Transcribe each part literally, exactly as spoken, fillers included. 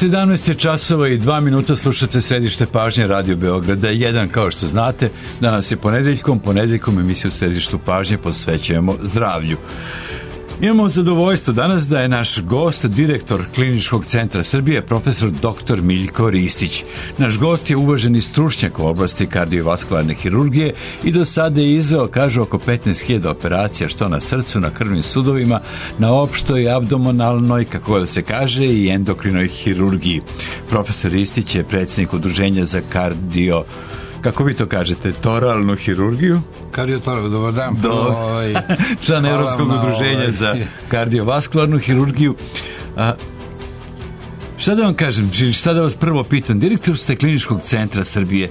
sedamnaest je časova i dva minuta, slušate Središte pažnje Radio Beograda jedan, kao što znate. Danas je ponedeljkom, ponedeljkom emisiju Središtu pažnje posvećujemo zdravlju. Imamo zadovoljstvo danas da je naš gost, direktor Kliničkog centra Srbije, profesor doktor Miljko Ristić. Naš gost je uvaženi stručnjak u oblasti kardiovaskularne hirurgije i do sada je izveo, kaže, oko petnaest hiljada operacija, što na srcu, na krvnim sudovima, na opštoj, abdominalnoj, kako da se kaže, i endokrinoj hirurgiji. Profesor Ristić je predsjednik udruženja za kardio, kako vi to kažete, toralnu hirurgiju? Kardiotoralnu, dobar dan. Do, ovaj, član Evropskog udruženja ovaj. za kardiovaskularnu hirurgiju. A, šta da vam kažem, šta da vas prvo pitam, direktor ste Kliničkog centra Srbije.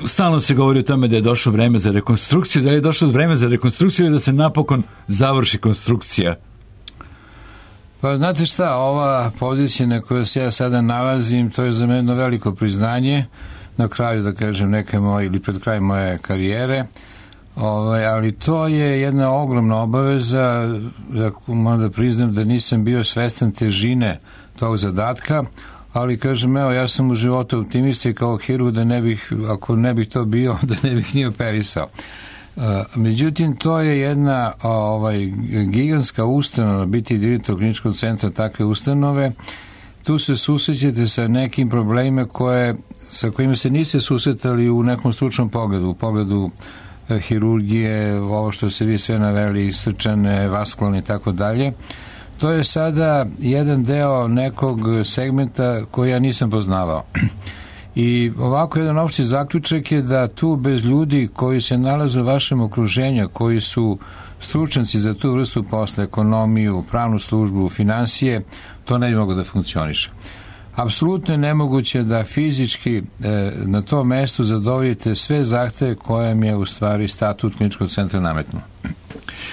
Stalno se govori o tome da je došlo vreme za rekonstrukciju, da li je došlo vreme za rekonstrukciju i da se napokon završi konstrukcija? Pa znate šta, ova pozicija na kojoj se ja sada nalazim, to je za mene jedno veliko priznanje, na kraju, da kažem, neke moje, ili pred kraj moje karijere, ovaj, ali to je jedna ogromna obaveza, ako moram da priznam da nisam bio svestan težine tog zadatka, ali kažem, evo, ja sam u životu optimista i kao hirurg da ne bih, ako ne bih to bio, da ne bih ni operisao. Međutim, to je jedna ovaj, gigantska ustanova, biti direktor Kliničkog centra takve ustanove. Tu se susrećete sa nekim problemima koje, sa kojima se niste susretali u nekom stručnom pogledu, u pogledu e, hirurgije, ovo što se vi sve naveli, srčane, vaskularne i tako dalje. To je sada jedan deo nekog segmenta koji ja nisam poznavao. I ovako jedan opšti zaključak je da tu bez ljudi koji se nalaze u vašem okruženju, koji su stručnjaci za tu vrstu posla, ekonomiju, pravnu službu, finansije, to ne bi moglo da funkcioniše. Apsolutno je nemoguće da fizički e, na tom mestu zadovoljite sve zahteve koje mi je u stvari statut Kliničkog centra nametnuo.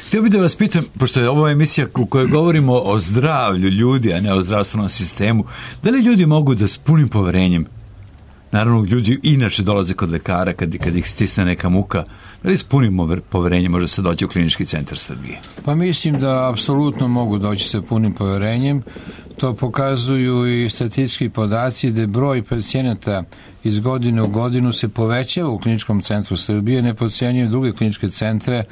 Htio bih da vas pitam, pošto je ovo emisija u kojoj govorimo o zdravlju ljudi, a ne o zdravstvenom sistemu, da li ljudi mogu da s punim poverenjem, naravno ljudi inače dolaze kod lekara kad, kad ih stisne neka muka, da li s punim poverenjem može se doći u Klinički centar Srbije? Pa mislim da apsolutno mogu doći sa punim poverenjem. To pokazuju i statistički podaci da broj pacijenata iz godine u godinu se povećava u Kliničkom centru Srbije, ne podcenjuju druge kliničke centre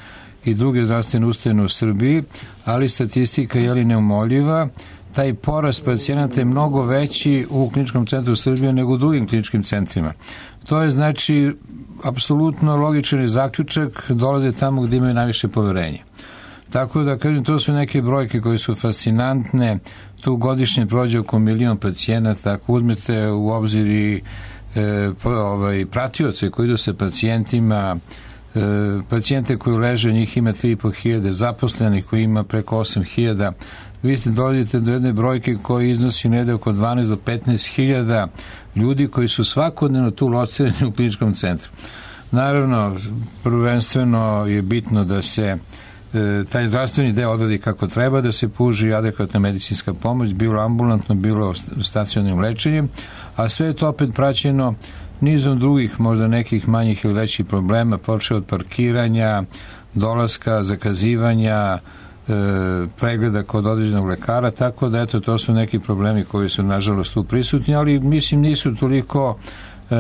i druge zdravstvene ustanove u Srbiji, ali statistika je li neumoljiva. Taj porast pacijenata je mnogo veći u Kliničkom centru Srbije nego u drugim kliničkim centrima. To je znači apsolutno logičan zaključak, dolaze tamo gdje imaju najviše poverenje. Tako da, kažem, to su neke brojke koje su fascinantne. Tu godišnje prođe oko milion pacijenata. Ako uzmete u obzir i e, ovaj, pratioce koji idu sa pacijentima, e, pacijente koji leže, njih ima tri i po hiljade, zaposlenih koji ima preko osam hiljada, vi ste dolazite do jedne brojke koja iznosi negde oko dvanaest do petnaest hiljada ljudi koji su svakodnevno tu locirani u Kliničkom centru. Naravno, prvenstveno je bitno da se e, taj zdravstveni deo odvodi kako treba, da se pruži adekvatna medicinska pomoć, bilo ambulantno, bilo stacionarnim lečenjem, a sve je to opet praćeno nizom drugih, možda nekih manjih ili većih problema, počeo od parkiranja, dolaska, zakazivanja, pregleda kod određenog lekara, tako da eto, to su neki problemi koji su nažalost tu prisutni, ali mislim nisu toliko e,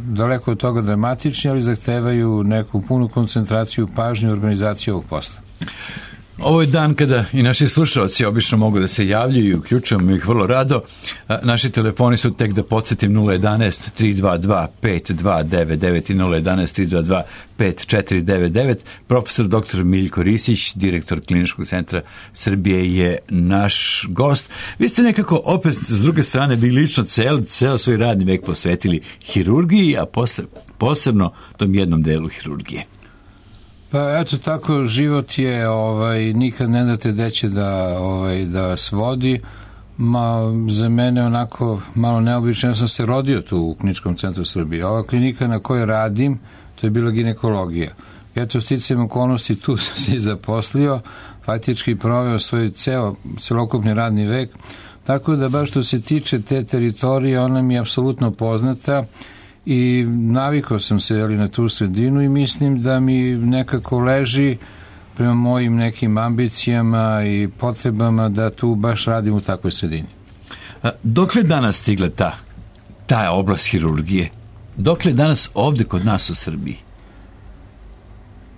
daleko od toga dramatični, ali zahtevaju neku punu koncentraciju, pažnju i organizaciju ovog posla. Ovo je dan kada i naši slušalci obično mogu da se javljaju i uključujemo ih vrlo rado. Naši telefoni su, tek da podsjetim, nula jedanaest tri dva dva pet dva devet devet i nula jedanaest tri dva dva pet četiri devet devet. Profesor doktor Miljko Ristić, direktor Kliničkog centra Srbije, je naš gost. Vi ste nekako opet s druge strane bili lično cel, ceo svoj radni vek posvetili hirurgiji, a posle, posebno tom jednom delu hirurgije. Pa eto tako, život je, ovaj, nikad ne date gde će da, ovaj, da vas vodi. Ma, za mene onako malo neobično, ja sam se rodio tu u Kliničkom centru Srbije. Ova klinika na kojoj radim, to je bila ginekologija. Eto, sticajem okolnosti, tu sam se i zaposlio, faktički proveo svoj ceo, celokupni radni vek, tako da baš što se tiče te teritorije, ona mi je apsolutno poznata i navikao sam se jeli, na tu sredinu i mislim da mi nekako leži prema mojim nekim ambicijama i potrebama da tu baš radim u takvoj sredini. Dokle danas stigla ta, ta oblast hirurgije? Dokle danas ovde kod nas u Srbiji?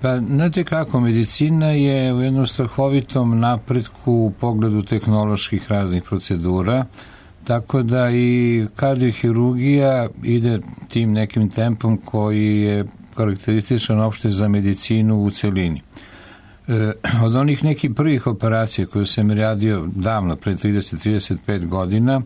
Pa, znate kako, medicina je u jednom strahovitom napretku u pogledu tehnoloških raznih procedura, tako da i kardiohirurgija ide tim nekim tempom koji je karakterističan opšte za medicinu u celini. E, od onih nekih prvih operacija koje sam radio davno, pre trideset do trideset pet godina,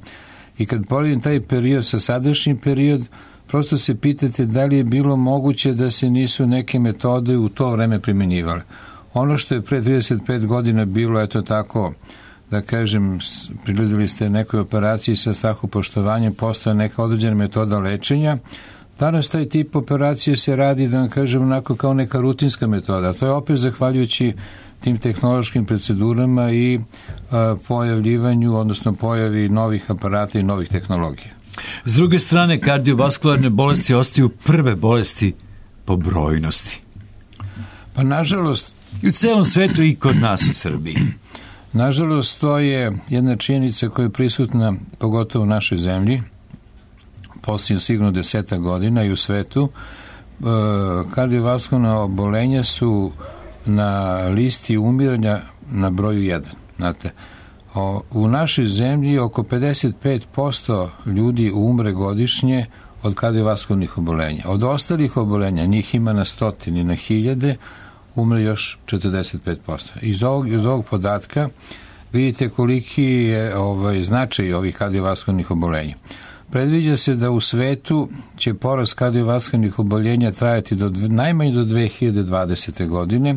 i kad poredim taj period sa sadašnjim period, prosto se pitate da li je bilo moguće da se nisu neke metode u to vreme primjenjivale. Ono što je pre trideset pet godina bilo, eto tako, da kažem, prilazili ste nekoj operaciji sa strahopoštovanjem, postoje neka određena metoda lečenja. Danas taj tip operacije se radi, da vam kažem, onako kao neka rutinska metoda. To je opet zahvaljujući tim tehnološkim procedurama i a, pojavljivanju, odnosno pojavi novih aparata i novih tehnologija. S druge strane, kardiovaskularne bolesti ostaju prve bolesti po brojnosti. Pa nažalost... I u celom svetu i kod nas u Srbiji. Nažalost, to je jedna činjenica koja je prisutna pogotovo u našoj zemlji, posljednjih sigurno deseta godina i u svetu. E, kardiovaskularna obolenja su na listi umiranja na broju jedan. Znate, o, u našoj zemlji oko pedeset pet posto ljudi umre godišnje od kardiovaskularnih obolenja. Od ostalih obolenja, njih ima na stotini, na hiljade, umre još četrdeset pet posto. Iz ovog, iz ovog podatka vidite koliki je ovaj, značaj ovih kardiovaskularnih obolenja. Predviđa se da u svetu će porast kardiovaskularnih oboljenja trajati do, najmanje do dve hiljade dvadesete. godine,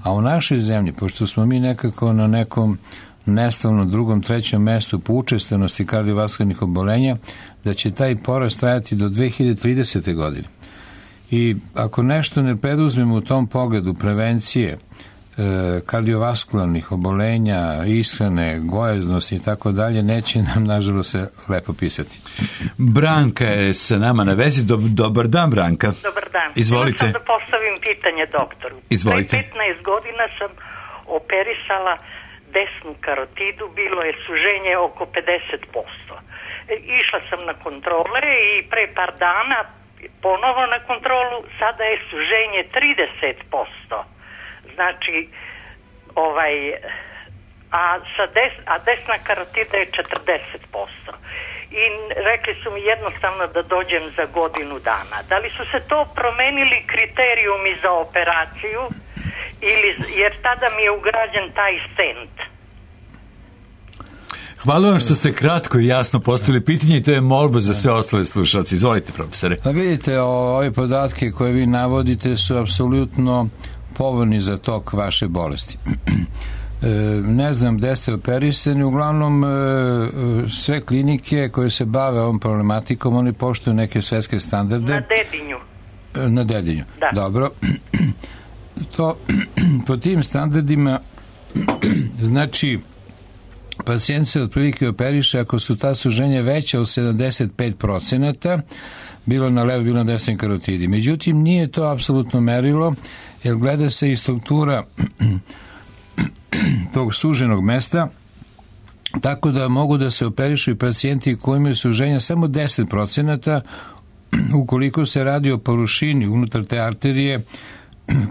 a u našoj zemlji, pošto smo mi nekako na nekom neslavnom drugom, trećem mestu po učestanosti kardiovaskularnih obolenja, da će taj porast trajati do dve hiljade tridesete. godine. I ako nešto ne preduzmemo u tom pogledu prevencije e, kardiovaskularnih obolenja, ishrane, gojaznosti i tako dalje, neće nam nažalost se lepo pisati. Branka je sa nama na vezi. Dob, dobar dan, Branka. Dobar dan. Izvolite. Htjela sam da postavim pitanje doktoru. Izvolite. Pre petnaest godina sam operisala desnu karotidu, bilo je suženje oko pedeset posto. E, išla sam na kontrole i pre par dana ponovo na kontrolu, sada je suženje trideset posto. Znači, ovaj, a, sa des, a desna karotida je četrdeset posto. I rekli su mi jednostavno da dođem za godinu dana. Da li su se to promenili kriterijumi za operaciju, ili, jer tada mi je ugrađen taj stent? Hvala vam što ste kratko i jasno postavili pitanje i to je molba za sve ostale slušalci. Izvolite, profesore. Pa vidite, ove podatke koje vi navodite su apsolutno povoljni za tok vaše bolesti. E, ne znam gde ste operisani, uglavnom e, sve klinike koje se bave ovom problematikom, oni poštuju neke svetske standarde. Na Dedinju. E, na Dedinju, da. Dobro. To, po tim standardima znači pacijent se otprilike operiše ako su ta suženja veća od sedamdeset pet procenata, bilo na levo, bilo na desnoj karotidi. Međutim, nije to apsolutno merilo, jer gleda se i struktura tog suženog mesta, tako da mogu da se operišu i pacijenti koji imaju suženja samo deset procenata, ukoliko se radi o površini unutar te arterije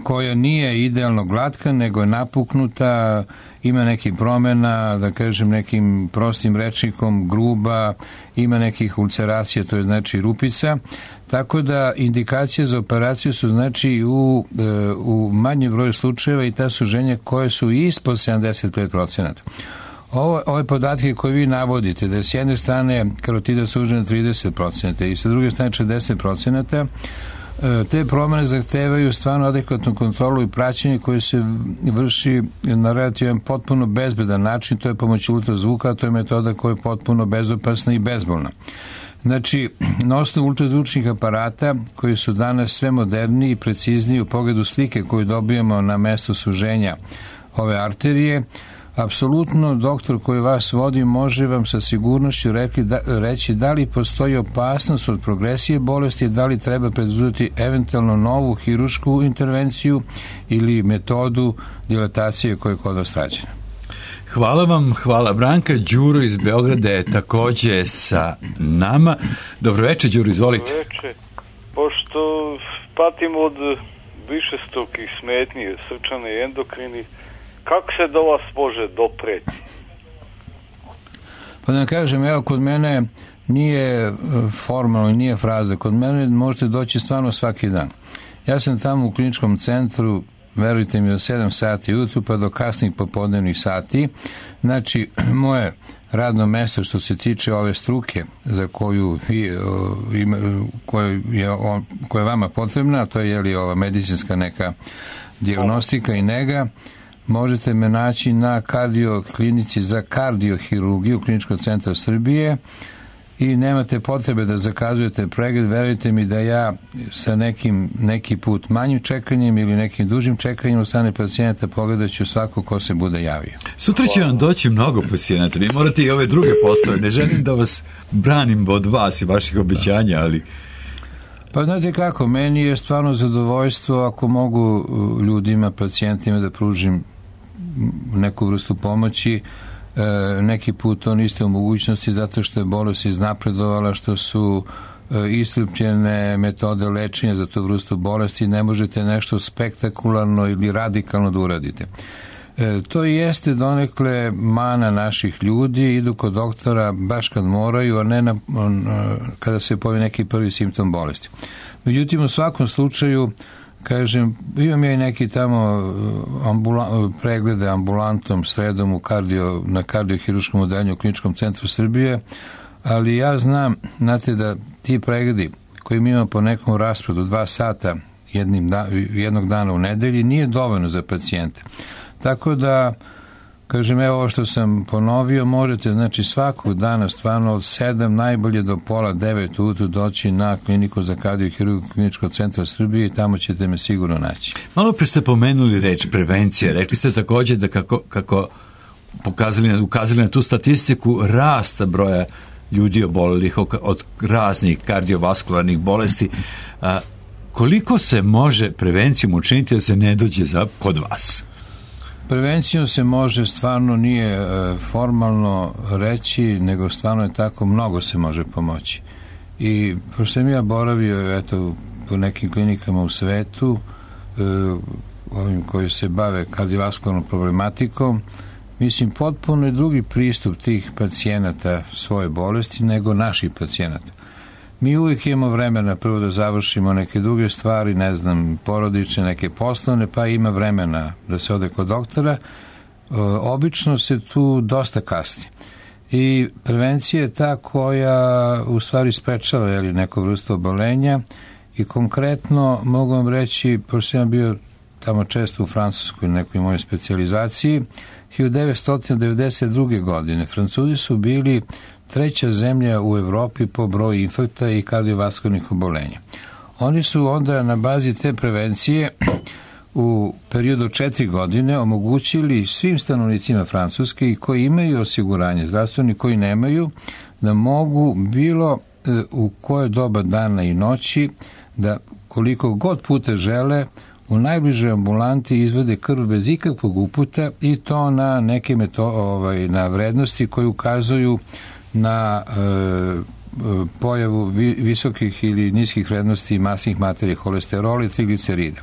koja nije idealno glatka, nego je napuknuta, ima nekih promjena, da kažem nekim prostim rečnikom, gruba, ima nekih ulceracija, to je znači rupica, tako da indikacije za operaciju su znači u, u manjem broju slučajeva i ta suženja koje su ispod sedamdeset pet procenata. Ovo, ove podatke koje vi navodite, da je s jedne strane karotida sužena trideset procenata i sa druge strane četrdeset procenata, te promjene zahtevaju stvarno adekvatnu kontrolu i praćenje koje se vrši na relativan potpuno bezbedan način, to je pomoć ultrazvuka, a to je metoda koja je potpuno bezopasna i bezbolna. Znači, na osnovu ultrazvučnih aparata koji su danas sve moderniji i precizniji u pogledu slike koju dobijemo na mesto suženja ove arterije, apsolutno doktor koji vas vodi može vam sa sigurnošću rekli da, reći da li postoji opasnost od progresije bolesti, da li treba preduzeti eventualno novu hirušku intervenciju ili metodu dilatacije koja je kod vas rađena. Hvala vam, hvala Branka. Đuro iz Beograda je takođe sa nama. Dobro večer, Đuro, izvolite. Dobro večer. Pošto patim od višestrukih smetnji, srčane i endokrini, kako se do vas može dopreti? Pa da kažem, evo, kod mene nije formalno i nije fraza. Kod mene možete doći stvarno svaki dan. Ja sam tamo u kliničkom centru, verujte mi, od sedam sati ujutru pa do kasnih popodnevnih sati. Znači, moje radno mesto što se tiče ove struke za koju vi, ima, koju je, koja je vama potrebna, to je, je li, ova medicinska neka dijagnostika i nega, možete me naći na kardioklinici za kardiohirurgiju Kliničkog centra Srbije i nemate potrebe da zakazujete pregled. Verujte mi da ja sa nekim neki put manjim čekanjem ili nekim dužim čekanjem u strane pacijenata pogledat ću svako ko se bude javio. Sutra će vam doći mnogo pacijenata. Vi morate i ove druge poslove. Ne želim da vas branim od vas i vaših obećanja, ali... Pa znate kako, meni je stvarno zadovoljstvo ako mogu ljudima, pacijentima da pružim neku vrstu pomoći. E, neki put to niste u mogućnosti zato što je bolest iznapredovala, što su e, iscrpljene metode lečenja za tu vrstu bolesti, ne možete nešto spektakularno ili radikalno da uradite. E, to jeste donekle mana naših ljudi, idu kod doktora baš kad moraju, a ne na, on, kada se pojavi neki prvi simptom bolesti. Međutim, u svakom slučaju, kažem, imam ja i neki tamo ambula, preglede ambulantom sredom u kardio, na kardiohiruškom odeljenju u Kliničkom centru Srbije, ali ja znam, znate, da ti pregledi koji mi imamo po nekom rasporedu dva sata jednim da, jednog dana u nedelji nije dovoljno za pacijente. Tako da, kažem, evo ovo što sam ponovio, možete, znači, svakog dana stvarno od sedam najbolje do pola devet ujutru doći na kliniku za kardiohirurgiju Kliničkog centra Srbije i tamo ćete me sigurno naći. Malo pre ste pomenuli reč prevencija. Rekli ste takođe da kako, kako pokazali, ukazali na tu statistiku rasta broja ljudi obolelih od raznih kardiovaskularnih bolesti. A, koliko se može prevencijom učiniti da se ne dođe za kod vas? Prevencijom se može, stvarno nije e, formalno reći, nego stvarno je tako, mnogo se može pomoći. I pošto sam ja boravio, eto, po nekim klinikama u svetu, e, ovim koji se bave kardiovaskularnom problematikom, mislim, potpuno je drugi pristup tih pacijenata svoje bolesti nego naših pacijenata. Mi uvijek imamo vremena prvo da završimo neke druge stvari, ne znam, porodične, neke poslovne, pa ima vremena da se ode kod doktora. E, obično se tu dosta kasni. I prevencija je ta koja u stvari sprečava, jeli, neku vrstu obolenja i konkretno mogu vam reći, pošto sam bio tamo često u Francuskoj, nekoj mojoj specijalizaciji, hiljadu devetsto devedeset druge. godine Francuzi su bili treća zemlja u Evropi po broju infarkta i kardiovaskularnih obolenja. Oni su onda na bazi te prevencije u periodu četiri godine omogućili svim stanovnicima Francuske i koji imaju osiguranje zdravstveni, koji nemaju, da mogu bilo u koje doba dana i noći, da koliko god puta žele, u najbližoj ambulanti izvode krv bez ikakvog uputa i to na neke meto, ovaj, na vrednosti koje ukazuju na e, pojavu vi, visokih ili niskih vrednosti masnih materija, holesterola i triglicerida.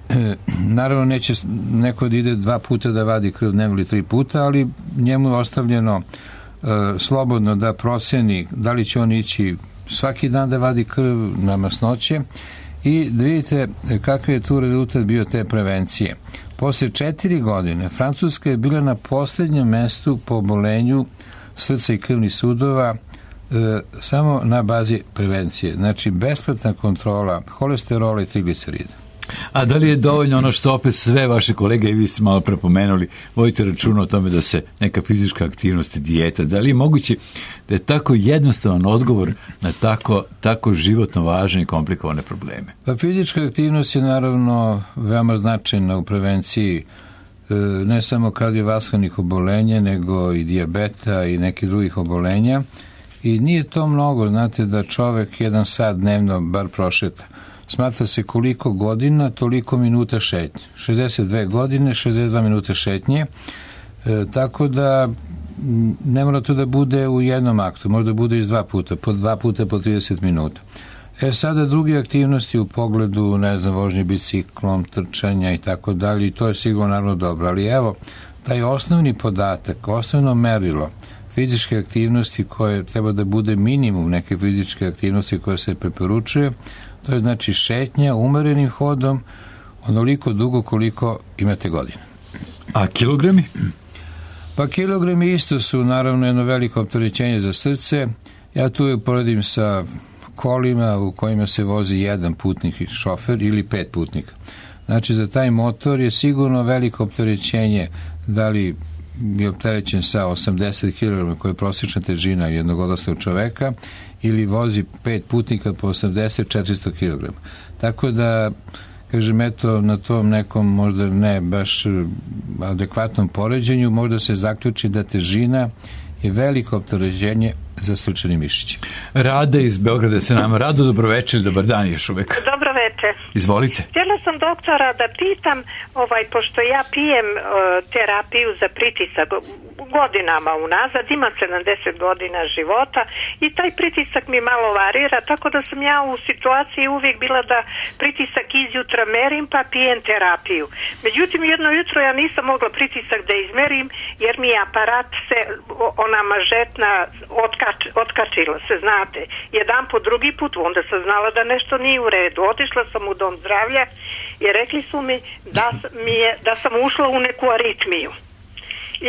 E, naravno, neće neko da ide dva puta da vadi krv dnevno ili tri puta, ali njemu je ostavljeno e, slobodno da proceni da li će on ići svaki dan da vadi krv na masnoće i da vidite kakav je tu rezultat bio te prevencije. Posle četiri godine Francuska je bila na posljednjem mestu po obolenju srca i krvnih sudova e, samo na bazi prevencije. Znači, besplatna kontrola holesterola i triglicerida. A da li je dovoljno ono što opet sve vaše kolege i vi ste malo prepomenuli, vodite računa o tome da se neka fizička aktivnost i dijeta, da li je moguće da je tako jednostavan odgovor na tako, tako životno važne i komplikovane probleme? Pa fizička aktivnost je naravno veoma značajna u prevenciji ne samo kardiovaskularnih obolenja, nego i dijabeta i nekih drugih obolenja. I nije to mnogo, znate, da čovek jedan sat dnevno bar prošeta. Smatra se koliko godina, toliko minuta šetnje. šezdeset dve godine, šezdeset dva minuta šetnje. E, tako da ne mora to da bude u jednom aktu, možda bude iz dva puta, po dva puta po trideset minuta. E sada druge aktivnosti u pogledu, ne znam, vožnje biciklom, trčanja i tako dalje, i to je sigurno naravno dobro, ali evo, taj osnovni podatak, osnovno merilo fizičke aktivnosti koje treba da bude minimum neke fizičke aktivnosti koje se preporučuje, to je znači šetnja umerenim hodom onoliko dugo koliko imate godine. A kilogrami? Pa kilogrami isto su naravno jedno veliko opterećenje za srce. Ja tu uporedim sa kolima u kojima se vozi jedan putnik i šofer ili pet putnika. Znači za taj motor je sigurno veliko opterećenje, da li je opterećen sa osamdeset kilograma koja je prosječna težina jednog odraslog čoveka ili vozi pet putnika po osamdeset do četiristo kilograma. Tako da, kažem, eto, na tom nekom možda ne baš adekvatnom poređenju možda se zaključi da težina je veliko opterećenje za srčani mišić. Rada iz Beograda se nama. Rado, dobroveče ili dobar dan još uvek. Dobro veče. Izvolite. Htjela sam doktora da pitam, ovaj, pošto ja pijem uh, terapiju za pritisak godinama unazad, imam sedamdeset godina života i taj pritisak mi malo varira, tako da sam ja u situaciji uvijek bila da pritisak izjutra merim pa pijem terapiju. Međutim, jedno jutro ja nisam mogla pritisak da izmerim jer mi je aparat se, ona mažetna otkač, otkačila se, znate, jedan po drugi put, onda sam znala da nešto nije u redu. Otišla sam u dom zdravlja i rekli su mi da, mi je, da sam ušla u neku aritmiju.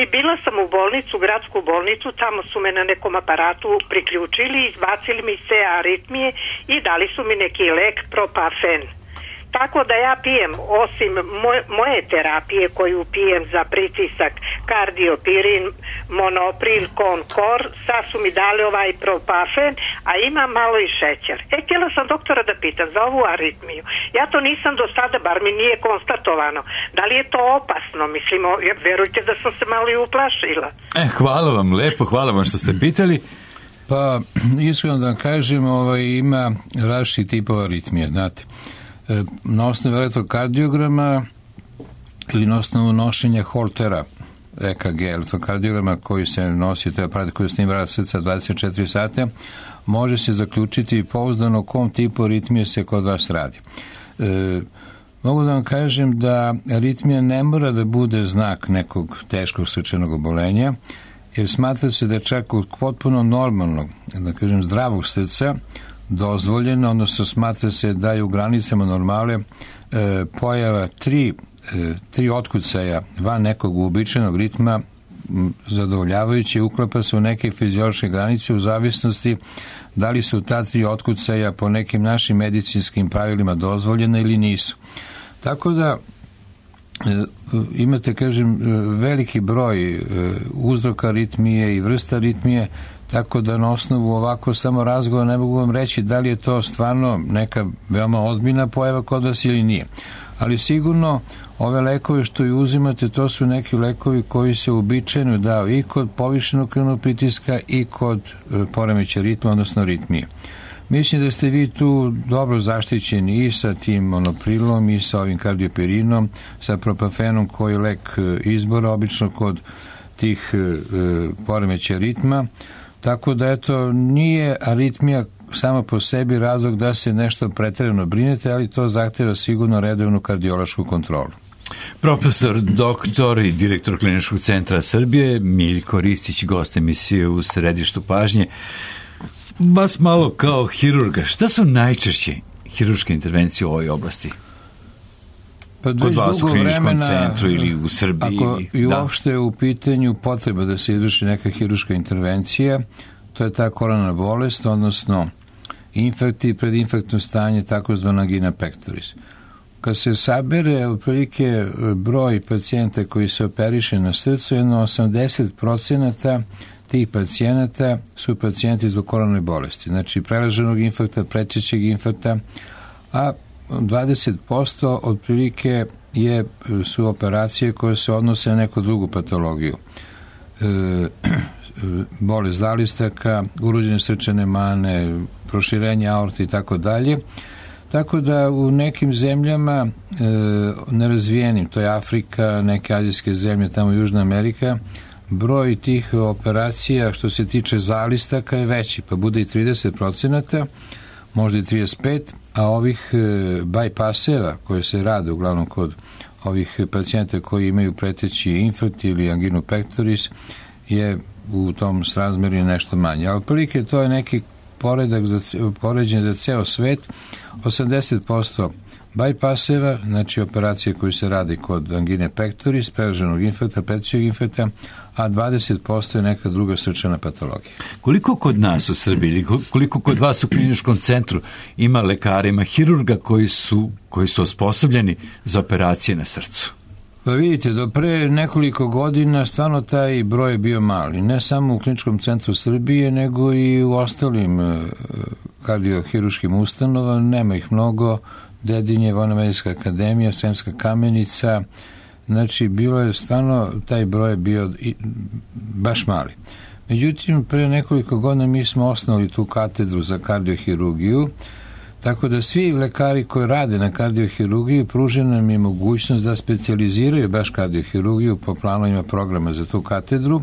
I bila sam u bolnicu, gradsku bolnicu, tamo su me na nekom aparatu priključili, izbacili mi se aritmije i dali su mi neki lek Propafen. Tako da ja pijem, osim moje, moje terapije koju pijem za pritisak, kardiopirin, monopril, konkor, sad su mi dali ovaj Propafen, a imam malo i šećer. E, htjela sam doktora da pitam za ovu aritmiju. Ja to nisam do sada, bar mi nije konstatovano. Da li je to opasno? Mislim, verujte da sam se malo i uplašila. E, hvala vam, lepo, hvala vam što ste pitali. Pa, iskreno da vam kažem, ovaj, ima različitih tipova aritmije, znate. Na osnovu elektrokardiograma ili na osnovu nošenja holtera E K G, elektrokardiograma koji se nosi, to je aparat koji snima rad srca dvadeset četiri sata, može se zaključiti pouzdano o kom tipu aritmije se kod vas radi. E, mogu da vam kažem da aritmija ne mora da bude znak nekog teškog srčanog obolenja, jer smatra se da je čak od potpuno normalnog, da kažem zdravog srca, dozvoljeno, odnosno smatra se da je u granicama normale e, pojava tri, e, tri otkucaja van nekog uobičajenog ritma m, zadovoljavajući, uklapa se u neke fiziološke granice u zavisnosti da li su ta tri otkucaja po nekim našim medicinskim pravilima dozvoljena ili nisu. Tako da e, imate, kažem, veliki broj e, uzroka aritmije i vrsta aritmije, tako da na osnovu ovako samo razgovora ne mogu vam reći da li je to stvarno neka veoma ozbiljna pojava kod vas ili nije. Ali sigurno ove lekove što i uzimate, to su neki lekovi koji se uobičajeno dao i kod povišenog krvnog pritiska i kod e, poremećaja ritma, odnosno aritmije. Mislim da ste vi tu dobro zaštićeni i sa tim monoprilom i sa ovim kardiopirinom, sa Propafenom koji je lek izbora obično kod tih e, poremećaja ritma. Tako da, eto, nije aritmija sama po sebi razlog da se nešto pretjerano brinete, ali to zahteva sigurno redovnu kardiološku kontrolu. Profesor, doktor i direktor Kliničkog centra Srbije, Miljko Ristić, gost emisije u središtu pažnje. Vas malo kao hirurga, šta su najčešće hirurške intervencije u ovoj oblasti? Pa kod vas u kliničkom centru ili u Srbiji? Ako i uopšte u pitanju potreba da se izvrši neka hirurška intervencija, to je ta koronarna bolest, odnosno infekti i predinfektno stanje, takozvana angina pectoris. Kad se sabere otprilike broj pacijenta koji se operiše na srcu, jedno osamdeset procenata tih pacijenata su pacijenti zbog koronarne bolesti, znači preraženog infarkta, pretečeg infarkta, a dvadeset posto otprilike je, su operacije koje se odnose na neku drugu patologiju. E, bolest zalistaka, urođene srčane mane, proširenje aorte i tako dalje. Tako da u nekim zemljama e, nerazvijenim, to je Afrika, neke azijske zemlje, tamo Južna Amerika, broj tih operacija što se tiče zalistaka je veći, pa bude i trideset procenata, možda i trideset pet, a ovih e, bypasseva koje se rade uglavnom kod ovih pacijenta koji imaju preteći infarkt ili anginu pectoris je u tom srazmeri nešto manje. Ali prilike to je neki poredak za, poređen za ceo svet, osamdeset posto bypasseva, znači operacije koje se radi kod angine pectoris, preraženog infarkta, pretećeg infarkta, a dvadeset posto je neka druga srčana patologija. Koliko kod nas u Srbiji, koliko kod vas u kliničkom centru ima lekara, ima hirurga koji su, koji su osposobljeni za operacije na srcu? Pa vidite, do pre nekoliko godina stvarno taj broj je bio mali. Ne samo u kliničkom centru Srbije, nego i u ostalim kardiohiruškim ustanovama. Nema ih mnogo. Dedinje, Vojno-medicinska akademija, Sremska Kamenica. Znači, bilo je stvarno, taj broj je bio baš mali. Međutim, pre nekoliko godina mi smo osnovali tu katedru za kardiohirurgiju, tako da svi lekari koji rade na kardiohirurgiji pružena nam je mogućnost da specijaliziraju baš kardiohirurgiju po planovima programa za tu katedru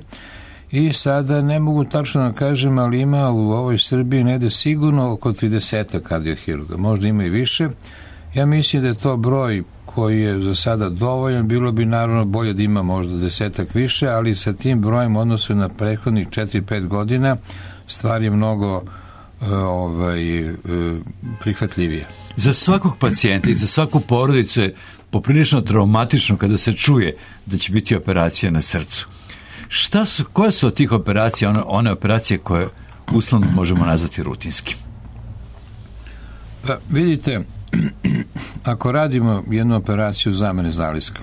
i sada ne mogu tačno da kažem, ali ima u ovoj Srbiji negde sigurno oko trideset kardiohirurga, možda ima i više. Ja mislim da je to broj koji je za sada dovoljan, bilo bi naravno bolje da ima možda desetak više, ali sa tim brojem u odnosu na prethodnih četiri pet godina stvar je mnogo ovaj, prihvatljivije. Za svakog pacijenta i za svaku porodicu je poprilično traumatično kada se čuje da će biti operacija na srcu. Šta su, koje su od tih operacija, one, one operacije koje uslovno možemo nazvati rutinskim? Pa vidite, ako radimo jednu operaciju zamene zaliska,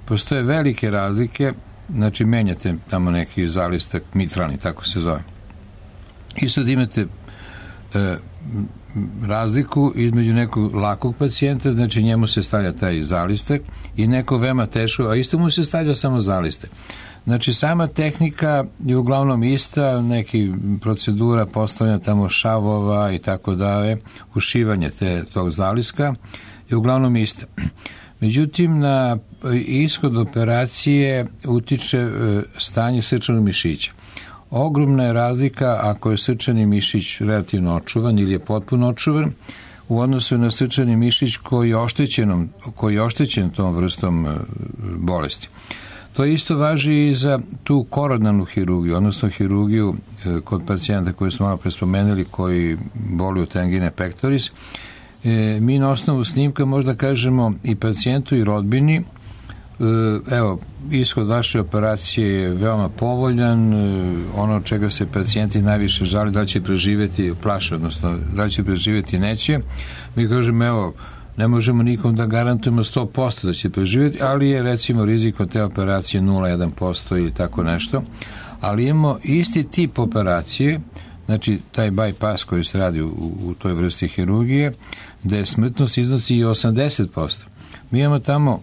postoje velike razlike, znači menjate tamo neki zalistak, mitralni, tako se zove. I sad imate e, razliku između nekog lakog pacijenta, znači njemu se stavlja taj zalistak, i neko veoma teško, a isto mu se stavlja samo zalistak. Znači sama tehnika je uglavnom ista, neki procedura postavljanja tamo šavova i tako dalje, ušivanje te, tog zaliska je uglavnom ista. Međutim, na ishod operacije utiče stanje srčanog mišića. Ogromna je razlika ako je srčani mišić relativno očuvan ili je potpuno očuvan u odnosu na srčani mišić koji je oštećenom, koji je oštećen tom vrstom bolesti. To isto važi i za tu koronarnu hirurgiju, odnosno hirurgiju kod pacijenta koji smo malo pre spomenuli koji boluju od angine pectoris. E, mi na osnovu snimka možda kažemo i pacijentu i rodbini, e, evo, ishod vaše operacije je veoma povoljan, e, ono od čega se pacijenti najviše žali, da li će preživjeti, plaše, odnosno da li će preživjeti, neće. Mi kažemo, evo, ne možemo nikom da garantujemo sto posto da će preživjeti, ali je recimo rizik od te operacije nula zarez jedan posto ili tako nešto. Ali imamo isti tip operacije, znači taj bypass koji se radi u, u toj vrsti hirurgije, gde smrtnost iznosi i osamdeset posto. Mi imamo tamo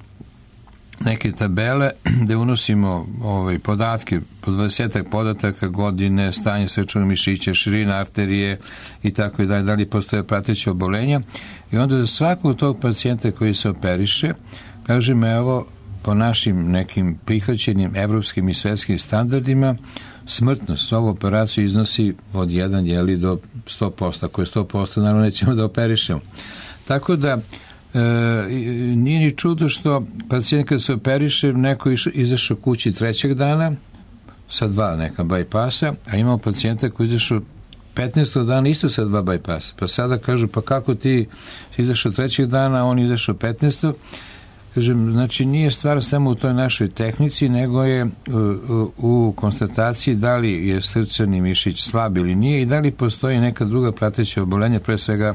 neke tabele gde unosimo ovaj, podatke, po dvadesetak podataka, godine, stanje srčanog mišića, širina arterije i tako i dalje, da li postoje prateće obolenja, i onda za svakog tog pacijenta koji se operiše, kažem, evo, po našim nekim prihvaćenim evropskim i svetskim standardima, smrtnost za ovu operaciju iznosi od jedan jeli do sto posto. Ako je sto posto, naravno nećemo da operišemo. Tako da, E, nije ni čudo što pacijent kad se operiše, neko izašao kući trećeg dana sa dva neka bypassa, a imamo pacijenta koji izašao petnaestog dana isto sa dva bypassa. Pa sada kažu, pa kako ti izašao trećeg dana, a on izašao petnaestog. Kažem, znači nije stvar samo u toj našoj tehnici, nego je u, u, u konstataciji da li je srčani mišić slab ili nije i da li postoji neka druga prateća obolenja, pre svega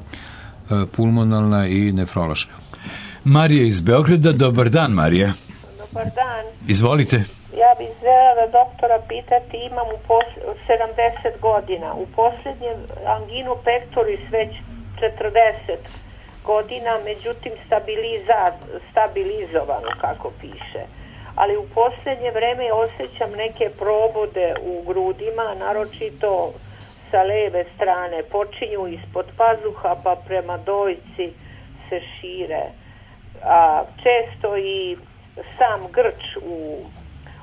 pulmonalna i nefrološka. Marija iz Beograda, dobar dan, Marija. Dobar dan. Izvolite. Ja bih željela da doktora pitati, imam u pos- sedamdeset godina, u posljednjem anginu pectoris već četrdeset godina, međutim stabiliza- stabilizovano, kako piše. Ali u posljednje vreme osjećam neke probode u grudima, naročito sa leve strane, počinju ispod pazuha pa prema dojci se šire. A često i sam grč u,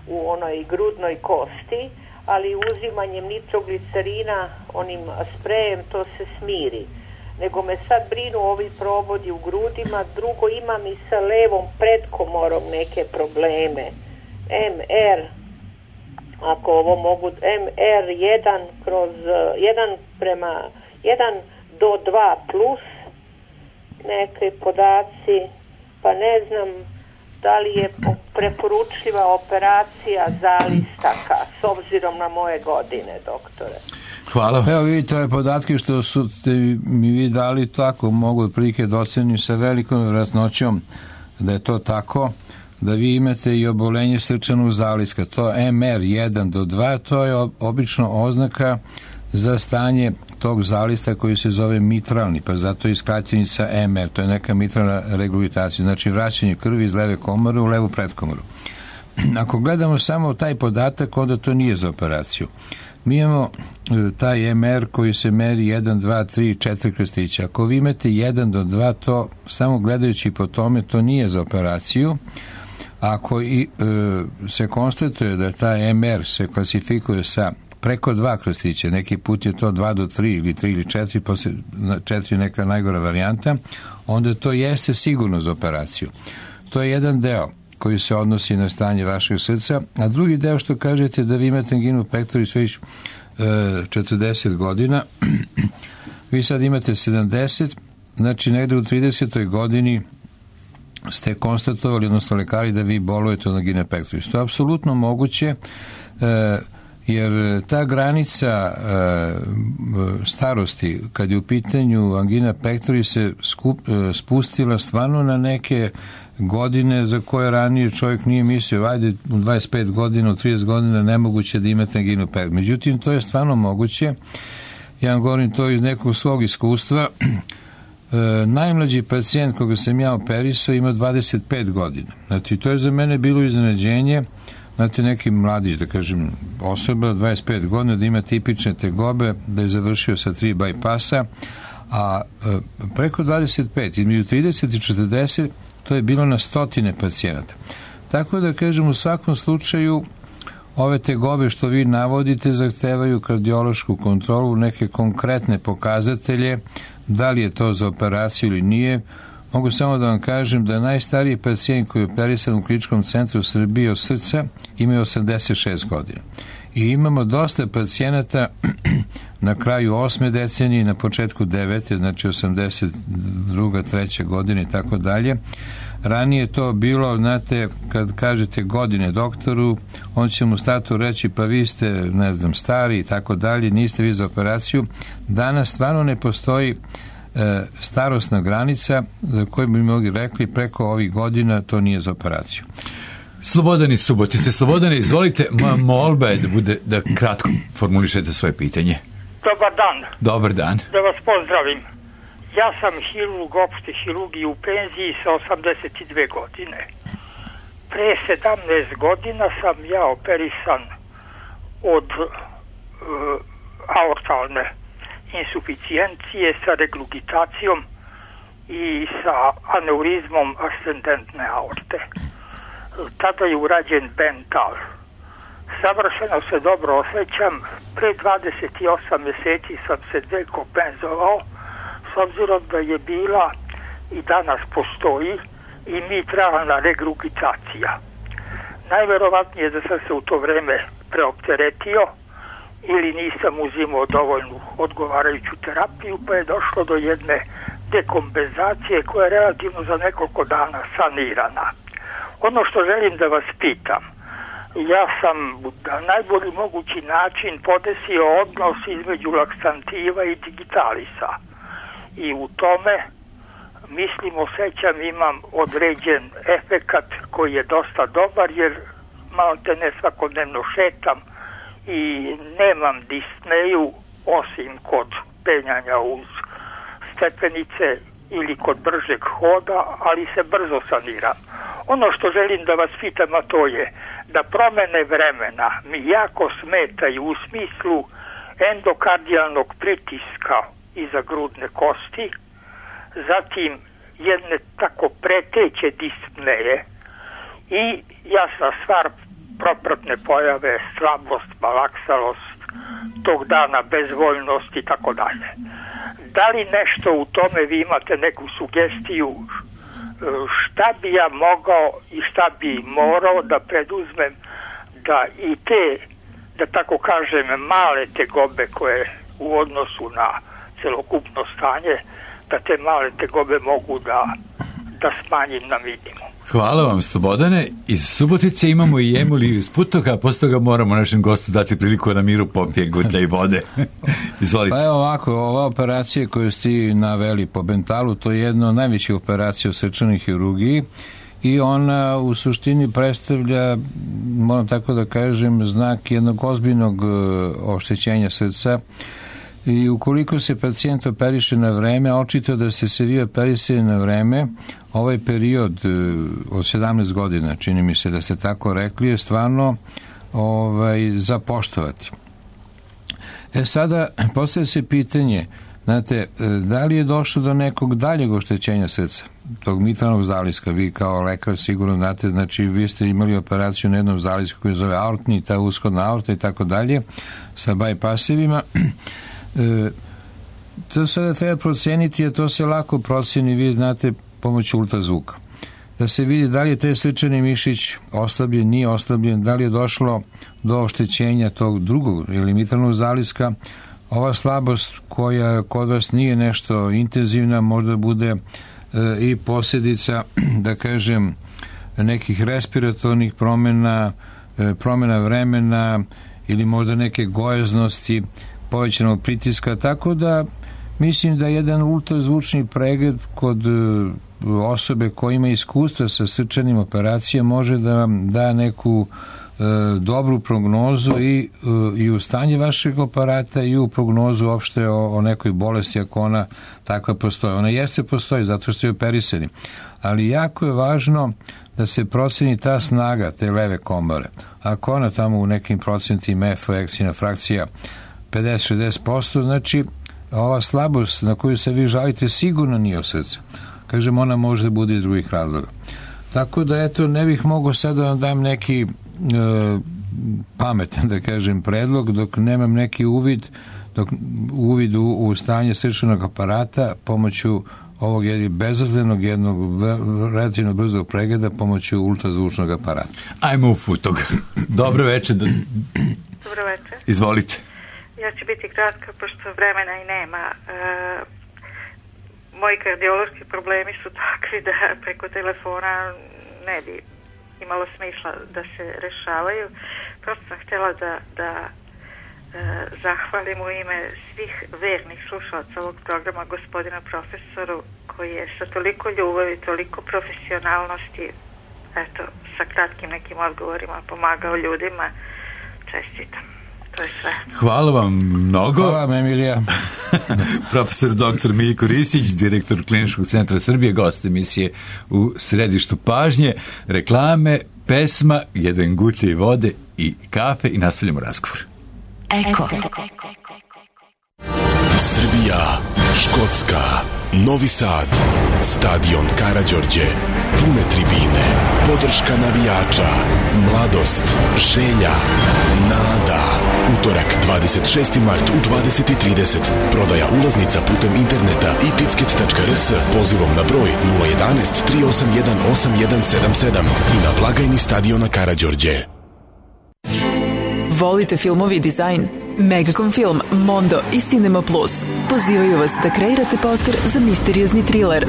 u onoj grudnoj kosti, ali uzimanjem nitroglicerina, onim sprejem, to se smiri. Nego me sad brinu ovi probodi u grudima. Drugo, imam i sa levom predkomorom neke probleme. em er, ako ovo mogu, em er jedan kroz jedan prema jedan do dva plus neke podaci, pa ne znam da li je preporučljiva operacija zalistaka s obzirom na moje godine, doktore. Hvala. Evo vidite ove podatke što su mi vi dali, tako mogu otprilike da ocenim sa velikom vjerojatnoćom da je to tako, da vi imate i obolenje srčanog zaliska. To em er jedan do dva, to je obično oznaka za stanje tog zalista koji se zove mitralni, pa zato je skraćenica em er, to je neka mitralna regurgitacija, znači vraćanje krvi iz leve komore u levu predkomoru. Ako gledamo samo taj podatak, onda to nije za operaciju. Mi imamo taj em er koji se meri jedan, dva, tri, četiri krstića. Ako vi imate jedan do dva, to samo gledajući po tome, to nije za operaciju. Ako i, e, se konstatuje da taj em er se klasifikuje sa preko dva krstića, neki put je to dva do tri ili tri ili četiri, posle četiri neka najgora varijanta, onda to jeste sigurno za operaciju. To je jedan deo koji se odnosi na stanje vašeg srca, a drugi deo što kažete da vi imate anginu pectoris već e, četrdeset godina, vi sad imate sedamdeset, znači negde u tridesetoj godini ste konstatovali, odnosno lekari, da vi bolujete od angine pectoris. To je apsolutno moguće, e, jer ta granica e, starosti, kad je u pitanju angina pectoris, se skup, e, spustila stvarno na neke godine za koje ranije čovjek nije mislio, ajde u dvadeset pet godina, u trideset godina nemoguće da imate anginu pectoris. Međutim, to je stvarno moguće. Ja vam govorim to iz nekog svog iskustva. E, najmlađi pacijent koga sam ja operisao ima dvadeset pet godina. Znači, to je za mene bilo iznenađenje. Znate, neki mladić, da kažem, osoba, dvadeset pet godina, da ima tipične tegobe, da je završio sa tri bajpasa, a e, preko dvadeset pet, između trideset i četrdeset, to je bilo na stotine pacijenata. Tako da, kažem, u svakom slučaju, ove tegobe što vi navodite zahtevaju kardiološku kontrolu, neke konkretne pokazatelje, da li je to za operaciju ili nije. Mogu samo da vam kažem da najstariji pacijent koji je operisan u Kliničkom centru Srbije od srca ima osamdeset šest godina. I imamo dosta pacijenata na kraju osme decenije, na početku devete, znači osamdeset druga, treća godine i tako dalje. Ranije to bilo, znate, kad kažete godine doktoru, on će mu statu reći, pa vi ste, ne znam, stari i tako dalje, niste vi za operaciju. Danas stvarno ne postoji e, starosna granica za koju bi mogli rekli preko ovih godina to nije za operaciju. Slobodan iz Subotice. Slobodan, izvolite, moja molba je da bude, da kratko formulišete svoje pitanje. Dobar dan. Dobar dan. Da vas pozdravim. Ja sam hirurg opšte hirurgije u penziji sa osamdeset dve godine. Pre sedamnaest godina sam ja operisan od uh, aortalne insuficijencije sa reglugitacijom i sa aneurizmom ascendentne aorte. Tada je urađen Bental. Savršeno se dobro osjećam. Pre dvadeset osam mjeseci sam se dekompenzovao, s obzirom da je bila i danas postoji i mitralna regrugitacija. Najverovatnije da sam se u to vreme preopteretio ili nisam uzimao dovoljnu odgovarajuću terapiju, pa je došlo do jedne dekompenzacije koja je relativno za nekoliko dana sanirana. Ono što želim da vas pitam, ja sam na najbolji mogući način podesio odnos između laksantiva i digitalisa. I u tome, mislim, osjećam, imam određen efekat koji je dosta dobar, jer malo te ne svakodnevno šetam i nemam disneju osim kod penjanja uz stepenice ili kod bržeg hoda, ali se brzo saniram. Ono što želim da vas pitam, a to je da promene vremena mi jako smetaju u smislu endokardijalnog pritiska iza grudne kosti, zatim jedne tako preteće dispneje i jasna stvar propratne pojave, slabost, malaksalost, tog dana bezvoljnost i tako dalje. Da li nešto u tome vi imate neku sugestiju šta bi ja mogao i šta bi morao da preduzmem da i te, da tako kažem, male tegobe koje u odnosu na celokupno stanje, da te male tegobe mogu da, da smanjim na minimum. Hvala vam, Slobodane. Iz Subotice imamo i Emiliju iz Putoka, a posle toga moramo našem gostu dati priliku na miru popije gutlja i vode. Izvolite. Pa evo ovako, ova operacija koju ste naveli po Bentalu, to je jedna od najvećih operacija u srčanoj hirurgiji i ona u suštini predstavlja, moram tako da kažem, znak jednog ozbiljnog oštećenja srca. I ukoliko se pacijent operiše na vreme, očito da ste se vi operisali na vreme, ovaj period od sedamnaest godina, čini mi se da ste tako rekli, je stvarno ovaj, za poštovati. E sada, postavlja se pitanje, znate, da li je došlo do nekog daljeg oštećenja srca, tog mitralnog zaliska, vi kao lekar sigurno znate, znači vi ste imali operaciju na jednom zalisku koji zove aortni, ta ushodna aorta i tako dalje, sa bypassivima. E, to sada treba proceniti, a to se lako proceni, vi znate, pomoću ultrazvuka. Da se vidi da li je taj srčani mišić oslabljen, nije oslabljen, da li je došlo do oštećenja tog drugog ili mitralnog zaliska. Ova slabost koja kod vas nije nešto intenzivna, možda bude e, i posljedica, da kažem, nekih respiratornih promjena, e, promjena vremena ili možda neke gojaznosti, povećanog pritiska, tako da mislim da jedan ultrazvučni pregled kod osobe koja ima iskustva sa srčanim operacijama može da vam da neku e, dobru prognozu i, e, i u stanje vašeg aparata i u prognozu uopšte o, o nekoj bolesti ako ona takva postoji. Ona jeste postoji zato što je operisani, ali jako je važno da se proceni ta snaga te leve komore. Ako ona tamo u nekim procentima F, ekcijna frakcija pedeset do šezdeset posto, znači ova slabost na koju se vi žalite sigurno nije od srca. Kažem, ona može da bude iz drugih razloga. Tako da, eto, ne bih mogao sad da vam dam neki e, pametan, da kažem, predlog, dok nemam neki uvid, dok uvid u, u stanje srčanog aparata pomoću ovog jednog bezazlenog, jednog relativno brzog pregleda pomoću ultrazvučnog aparata. Ajmo u Futog. Dobro večer. Dobro večer. Izvolite. Ja ću biti kratka, pošto vremena i nema. E, moji kardiološki problemi su takvi da preko telefona ne bi imalo smisla da se rešavaju. Prosto sam htjela da, da e, zahvalim u ime svih vernih slušalaca ovog programa gospodina profesoru, koji je sa toliko ljubavi, toliko profesionalnosti, eto, sa kratkim nekim odgovorima pomagao ljudima. Čestitam. To je sve. Hvala vam mnogo. Hvala vam, Emilija. Profesor doktor Miljko Ristić, direktor Kliničkog centra Srbije, gost emisije u središtu pažnje, reklame, pesma, jedan gutlje vode i kafe i nastavljamo razgovor. Eko. Srbija, Škotska, Novi Sad, stadion Karađorđe, pune tribine, podrška navijača, mladost, želja, nada. Utorak, dvadeset šesti mart u dvadeset i trideset. Prodaja ulaznica putem interneta i ticket tačka r s pozivom na broj nula jedan jedan tri osam jedan osam jedan sedam sedam i na blagajni stadiona Karađorđe. Volite filmovi i dizajn? Megacom Film, Mondo i Cinema Plus pozivaju vas da kreirate poster za misteriozni thriller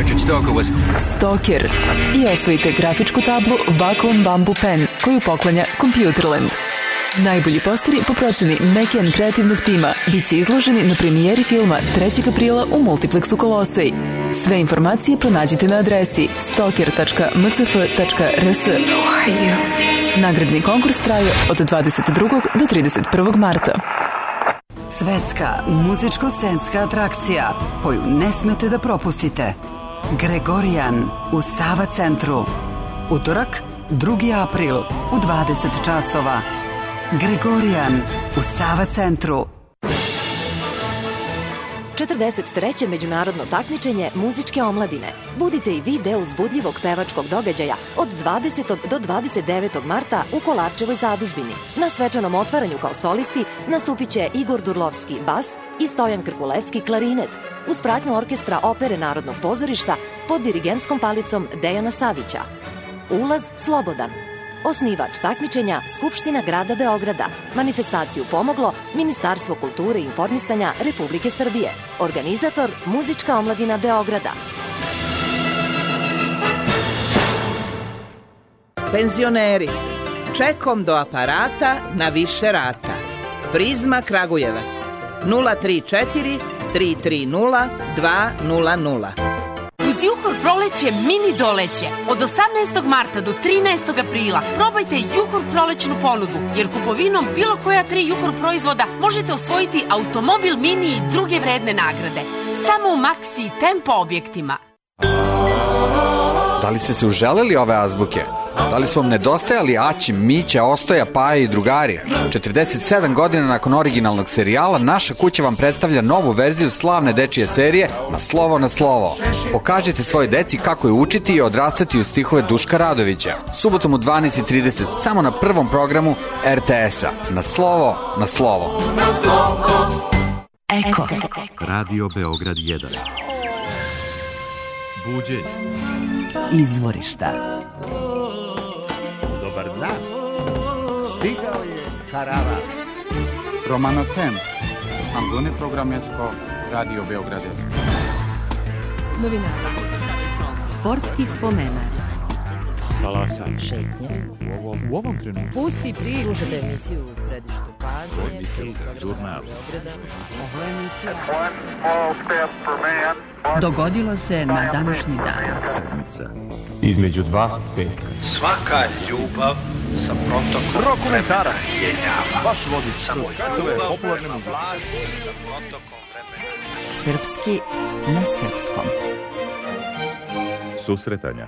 Stalker i osvojite grafičku tablu Wacom Bamboo Pen koju poklanja Computerland. Najbolji posteri po proceni Mekian kreativnog tima bit će izloženi na premijeri filma trećeg aprila u Multiplexu Kolosej. Sve informacije pronađite na adresi stalker tačka m c f tačka r s. Nagradni konkurs traje od dvadeset drugog do trideset prvog marta. Svetska muzičko-scenska atrakcija koju ne smete da propustite. Gregorijan u Sava centru. Utorak, drugi april u dvadeset časova. Gregorijan u Sava centru. četrdeset treće međunarodno takmičenje muzičke omladine. Budite i vi deo uzbudljivog pevačkog događaja od dvadesetog do dvadeset devetog marta u Kolarčevoj zadužbini. Na svečanom otvaranju kao solisti nastupit će Igor Durlovski bas i Stojan Krkuleski klarinet, uz pratnju orkestra Opere Narodnog pozorišta pod dirigentskom palicom Dejana Savića. Ulaz slobodan. Osnivač takmičenja Skupština grada Beograda. Manifestaciju pomoglo Ministarstvo kulture i informisanja Republike Srbije. Organizator Muzička omladina Beograda. Penzioneri, čekom do aparata na više rata. Prizma Kragujevac nula tri četiri tri tri nula dva nula nula. Uz Juhor proleće mini doleće. Od osamnaestog marta do trinaestog aprila probajte Juhor prolećnu ponudu, jer kupovinom bilo koja tri Juhor proizvoda možete osvojiti automobil mini i druge vredne nagrade. Samo u Maxi i Tempo objektima. Da li ste se uželeli ove azbuke? Da li su vam nedostajali Aći, Mića, Ostoja, Paja i drugari? četrdeset sedam godina nakon originalnog serijala, naša kuća vam predstavlja novu verziju slavne dečije serije Na slovo na slovo. Pokažite svoje deci kako je učiti i odrastati uz stihove Duška Radovića. Subotom u dvanaest i trideset samo na prvom programu er te es-a. Na slovo na slovo. Eko. Radio Beograd jedan. Buđenje. Izvorišta. Dobar dan. Stigao je karavan. Romano Temp. Angone programesko Radio Beograd. Novinara. Sportski spomenar. Talasan. Šetnje. U ovom, u ovom trenutku. Pusti priču. Slušajte emisiju u središtu pažnje. Žurnal. Dogodilo se na današnji dan. Sedmica. Između dva peka. Svaka ljubav sa protokom Rokomentarac. Vaš vodič Samo kroz svetove popularne muzike. Srpski na srpskom. Susretanja.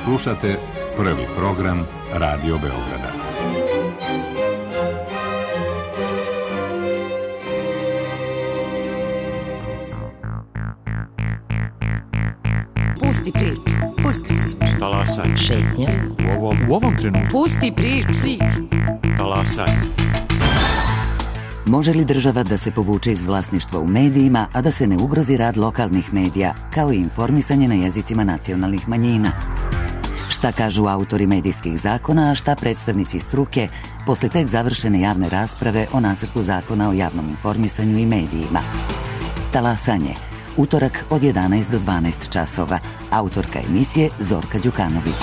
Slušate prvi program Radio Beograda. Pusti priču. Pusti priču. Talasan. Šetnje. U ovom, u ovom trenutku. Pusti priču. Talasan. Može li država da se povuče iz vlasništva u medijima, a da se ne ugrozi rad lokalnih medija, kao i informisanje na jezicima nacionalnih manjina? Šta kažu autori medijskih zakona, a šta predstavnici struke posle tek završene javne rasprave o nacrtu zakona o javnom informisanju i medijima? Talasanje. Utorak od jedanaest do dvanaest časova. Autorka emisije Zorka Đukanović.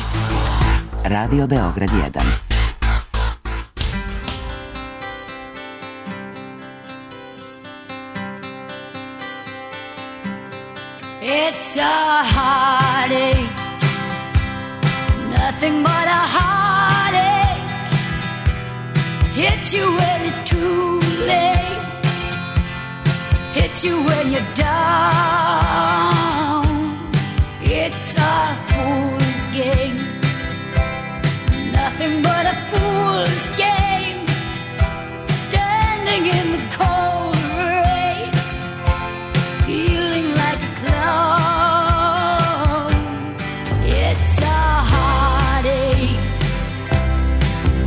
Radio Beograd jedan. It's a heartache, nothing but a heartache. Hits you when it's too late, hits you when you're down. It's a fool's game, nothing but a fool's game. Standing in the cold rain, feeling like a clown. It's a heartache,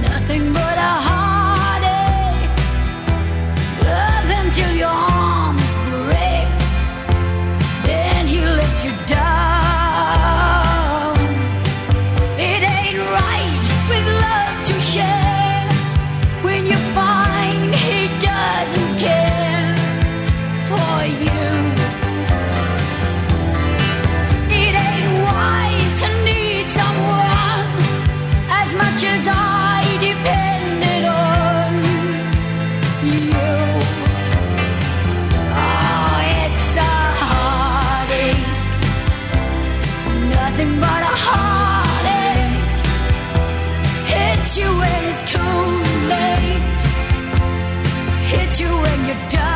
nothing but a heartache. Love him till your arms break, then he lets you down. It ain't right with love to share when you find he doesn't care for you. It ain't wise to need someone as much as I depended on you. Oh, it's a heartache, nothing but a heartache. Hits you when it's too late, hits you when you're down.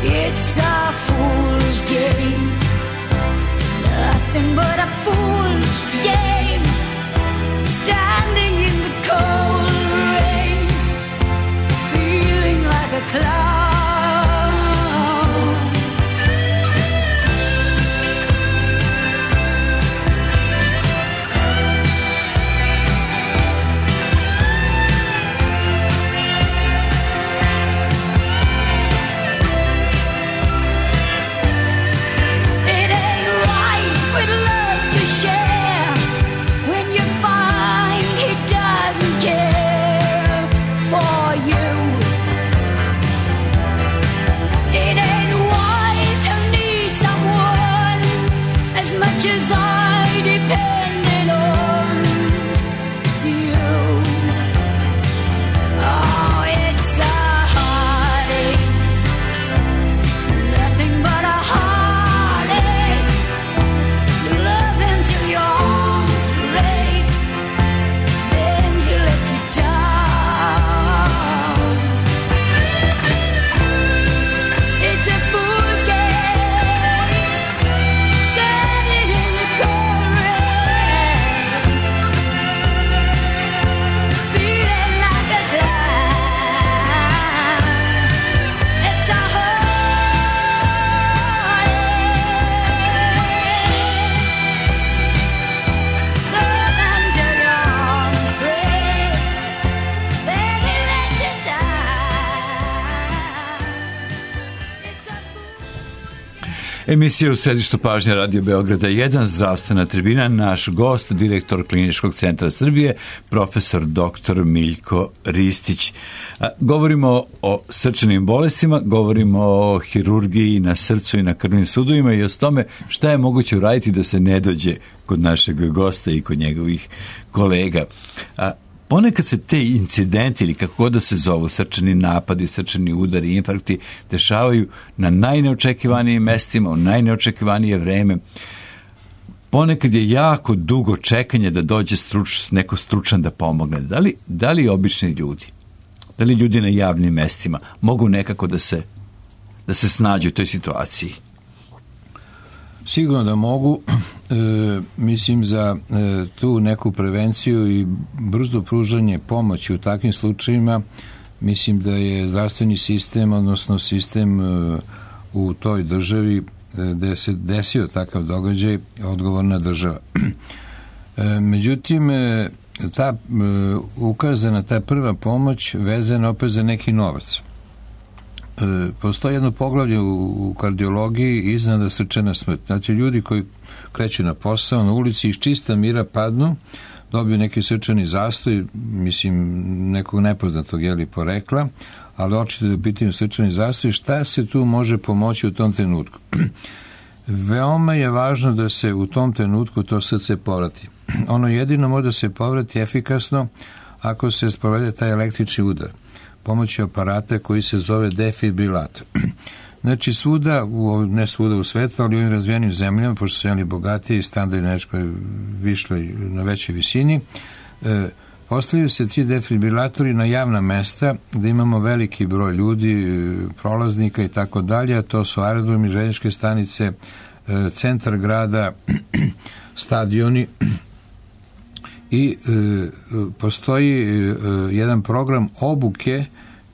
It's a fool's game, nothing but a fool's game. Standing in the cold rain, Emisija u središtu pažnje Radio Beograda jedan, zdravstvena tribina, naš gost, direktor Kliničkog centra Srbije, profesor doktor Miljko Ristić. Govorimo o srčanim bolestima, govorimo o hirurgiji na srcu i na krvnim sudovima i o tome šta je moguće uraditi da se ne dođe kod našeg gosta i kod njegovih kolega. Ponekad se te incidenti ili kako god da se zovu, srčani napadi, srčani udari, infarkti, dešavaju na najneočekivanijim mestima, u najneočekivanije vreme. Ponekad je jako dugo čekanje da dođe struč, neko stručan da pomogne. Da li, da li obični ljudi, da li ljudi na javnim mestima mogu nekako da se, da se snađu u toj situaciji? Sigurno da mogu. E, mislim za e, tu neku prevenciju i brzo pružanje pomoći u takvim slučajima, mislim da je zdravstveni sistem, odnosno sistem e, u toj državi e, gde se desio takav događaj, odgovorna država. E, međutim, e, ta e, ukazana, ta prva pomoć vezana opet za neki novac. E, postoji jedno poglavlje u, u kardiologiji iznenada srčana smrt. Znači, ljudi koji kreću na posao, na ulici iz čista mira padnu, dobiju neki srčani zastoj, mislim, nekog nepoznatog jeli porekla, ali očito da je u pitanju srčani zastoj. Šta se tu može pomoći u tom trenutku? Veoma je važno da se u tom trenutku to srce povrati. Ono jedino može da se povrati efikasno ako se sprovede taj električni udar pomoću aparata koji se zove defibrilator. Znači, svuda, u, ne svuda u svetu, ali u ovim razvijenim zemljama, pošto su jeli bogatiji, standardi nešto višli na većoj visini, e, postavljaju se ti defibrilatori na javna mesta gde imamo veliki broj ljudi, prolaznika i tako dalje, a to su aerodromi, željezničke stanice, e, centar grada, stadioni, i e, postoji e, jedan program obuke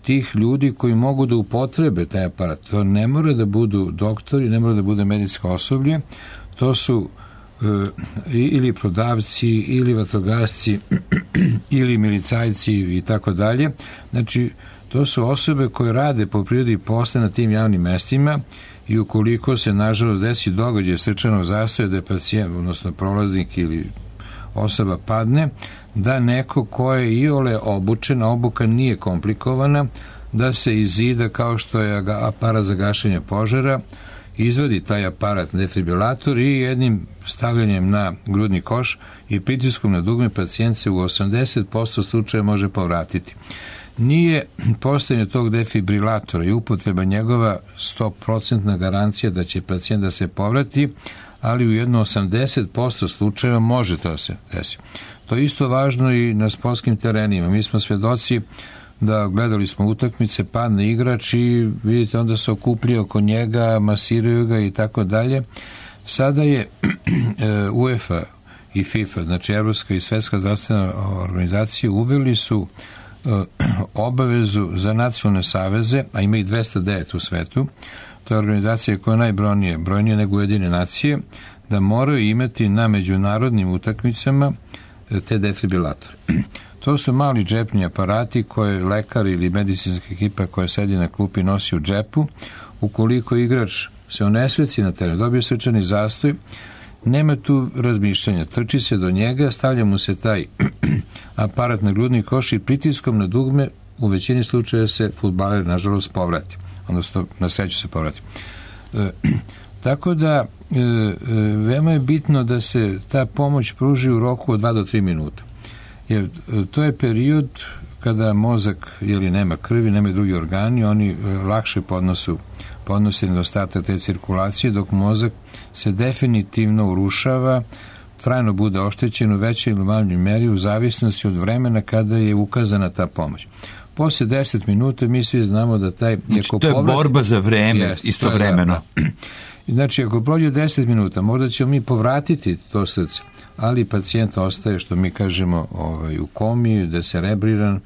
tih ljudi koji mogu da upotrebe taj aparat. To ne mora da budu doktori, ne mora da bude medicinsko osoblje, to su e, ili prodavci, ili vatrogasci, ili milicajci i tako dalje. Znači, to su osobe koje rade po prirodi posla na tim javnim mestima i ukoliko se, nažalost, desi događaj srčanog zastoja da je pacijent, odnosno prolaznik ili osoba padne, da neko ko je iole obučen, obuka nije komplikovana, da se izida kao što je aparat za gašenje požara, izvadi taj aparat defibrilator i jednim stavljanjem na grudni koš i pritiskom na dugme pacijent se u osamdeset posto slučaja može povratiti. Nije postojanje tog defibrilatora i upotreba njegova sto posto garancija da će pacijent da se povrati, ali u jedno osamdeset posto slučajeva može to se desi. To je isto važno i na sportskim terenima. Mi smo svedoci da gledali smo utakmice, padne igrač i vidite onda se okupljaju oko njega, masiraju ga i tako dalje. Sada je UEFA i FIFA, znači Evropska i Svetska zdravstvena organizacija, uveli su obavezu za nacionalne saveze, a ima ih dvesta devet u svetu, to je organizacija koja je najbrojnija, brojnija nego Ujedinjene nacije, da moraju imati na međunarodnim utakmicama te defibrilatore. To su mali džepni aparati koje lekar ili medicinska ekipa koja sedi na klupi nosi u džepu. Ukoliko igrač se onesveci na teren, dobije srčani zastoj, nema tu razmišljanja. Trči se do njega, stavlja mu se taj aparat na grudni koš i pritiskom na dugme u većini slučaja se fudbaler, nažalost, povrati. Odnosno, na sreću se povrati. E, tako da, e, veoma je bitno da se ta pomoć pruži u roku od dva do tri minuta. Jer to je period kada mozak, jeli nema krvi, nema drugi organi, oni lakše podnosu, podnose nedostatak te cirkulacije, dok mozak se definitivno urušava, trajno bude oštećen u većoj ili manjoj meri u zavisnosti od vremena kada je ukazana ta pomoć. Posle deset minuta mi svi znamo da taj... Znači, to je povrati, borba za vreme, jest, istovremeno. Da, da. Znači, ako prođe deset minuta, možda ćemo mi povratiti to srce, ali pacijent ostaje, što mi kažemo, ovaj, u komi, deserebriran,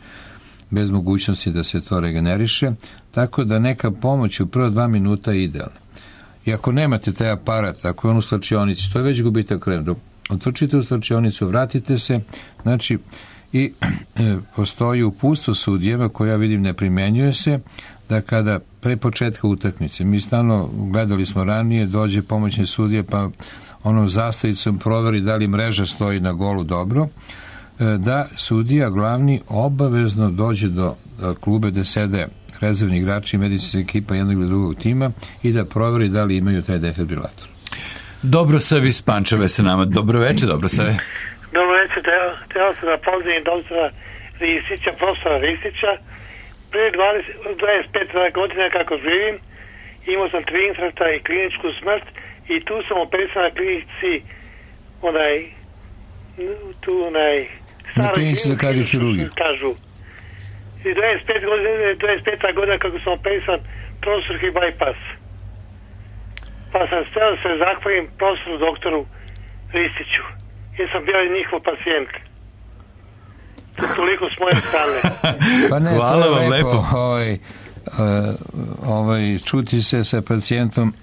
bez mogućnosti da se to regeneriše, tako da neka pomoć u prva dva minuta je idealna. I ako nemate taj aparat, ako je on u slačionici, to je već gubitak krvi. Otvrčite u slačionicu, vratite se, znači, i e, postoji uputstvo sudijeva koje ja vidim ne primenjuje se, da kada pre početka utakmice, mi stalno gledali smo ranije, dođe pomoćni sudije pa onom zastavicom proveri da li mreža stoji na golu dobro, da sudija glavni obavezno dođe do klube gde sede rezervni igrači i medicinska ekipa jednog ili drugog tima i da proveri da li imaju taj defibrilator. Dobro savi iz Pančeva se nama. Dobro večer, dobro savi. Dobro večer, teo sam da pozdravim doktora Ristića, profesora Ristića. Prije dvadeset pet godina kako živim, imao sam tri infarkta i kliničku smrt i tu sam operisan na klinici onaj tu onaj na klinici za kardiohirurgiju kažu i dvadeset pet godina, dvadeset peta godina kako sam operisan prostorski bypass, pa sam steo da se zahvalim profesoru doktoru Ristiću jer sam bio njihov pacijent. Toliko s moje strane. Pa ne, hvala vam lepo, lepo. Ovaj, uh, ovaj, čuti se sa pacijentom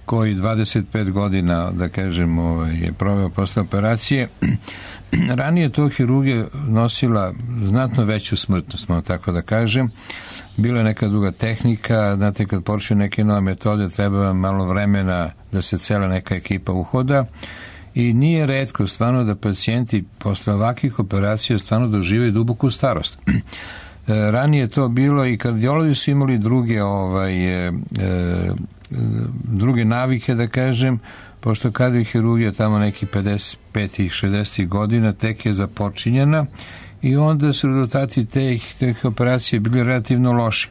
koji dvadeset pet godina, da kažem, ovaj, je proveo posle operacije. Ranije to hirurgija nosila znatno veću smrtnost, malo tako da kažem. Bila je neka druga tehnika, znate, kad počne neke nove metode, treba malo vremena da se cela neka ekipa uhoda. I nije retko stvarno da pacijenti posle ovakvih operacija stvarno doživaju duboku starost. E, ranije to bilo i kardiolozi su imali druge, ovaj, e, e, druge navike, da kažem, pošto kardiohirurgija tamo neki pedeset pet šezdeset godina tek je započinjena i onda su rezultati teh, teh operacija bili relativno loši.